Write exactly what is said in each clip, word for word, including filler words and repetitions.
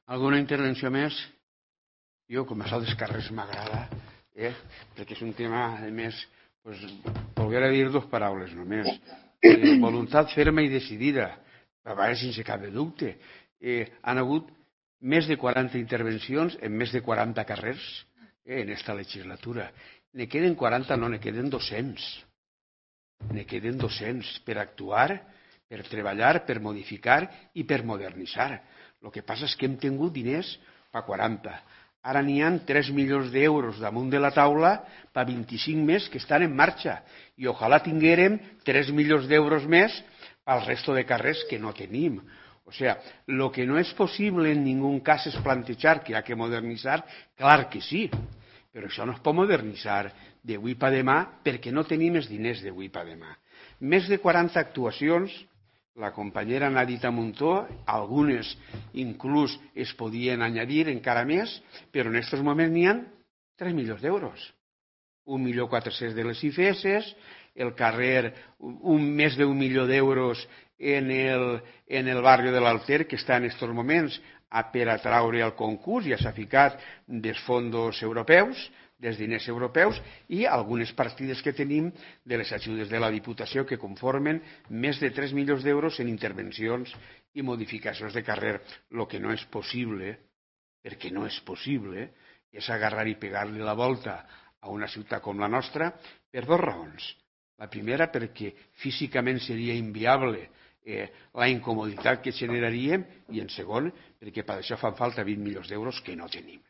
Alguna intervenció més? Jo, com això dels carrers m'agrada, eh? perquè és un tema, a més, pues, volguera dir dues paraules només. Eh, voluntat ferma i decidida, a vegades sense cap de dubte. Eh, han hagut més de quaranta intervencions en més de quaranta carrers eh, en esta legislatura. Ne queden quaranta, no, ne queden dos-cents. Ne queden dos-cents per actuar, per treballar, per modificar i per modernitzar. El que passa és que hem tingut diners per quaranta. Ara n'hi ha tres milions d'euros damunt de la taula per vint-i-cinc més que estan en marxa. I ojalà tinguérem tres milions d'euros més pel resto de carrers que no tenim. O sea, lo que no es posible en ningún cas es plantejar que hi ha que modernitzar, clar que sí, però això no es pot modernitzar d'avui per demà perquè no tenim els diners d'avui per demà. Més de quaranta actuacions, la companyera n'ha dit a muntó, algunes inclús es podien añadir encara més, però en aquests moments n'hi ha tres milions d'euros. Un milió quatre-cents de les I F S, el carrer, un, més d'un milió d'euros en el, en el barri de l'Alter, que està en aquests moments a, per a traure el concurs, ja s'ha ficat dels fons europeus, dels diners europeus, i algunes partides que tenim de les ajudes de la Diputació que conformen més de tres milions d'euros en intervencions i modificacions de carrer. El que no és possible, perquè no és possible, és agarrar i pegar-li la volta a una ciutat com la nostra per dues raons. La primera, perquè físicament seria inviable eh, la incomoditat que generaríem, i en segon, perquè per això fan falta vint milions d'euros que no tenim.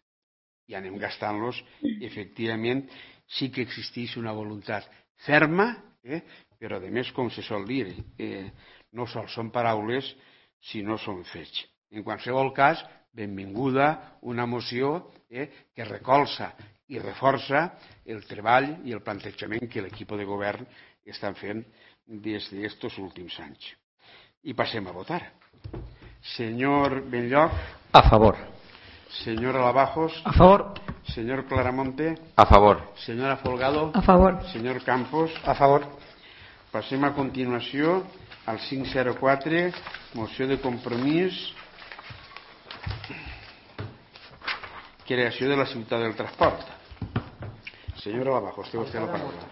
I anem gastant-los, efectivament, sí que existeix una voluntat ferma, eh, però a més, com se sol dir, eh, no sols són paraules, sinó són fets. En qualsevol cas, benvinguda una moció eh, que recolza i reforça el treball i el plantejament que l'equip de govern estan fent des d'aquests últims anys. I passem a votar. Senyor Benlloc. A favor. Señora Lavajos. A favor. Señor Claramonte. A favor. Señora Folgado. A favor. Señor Campos. A favor. Passem a continuació al cinc zero quatre, moció de compromís, creació de la ciutat del transport. Senyora Lavajos, té vostè la paraula.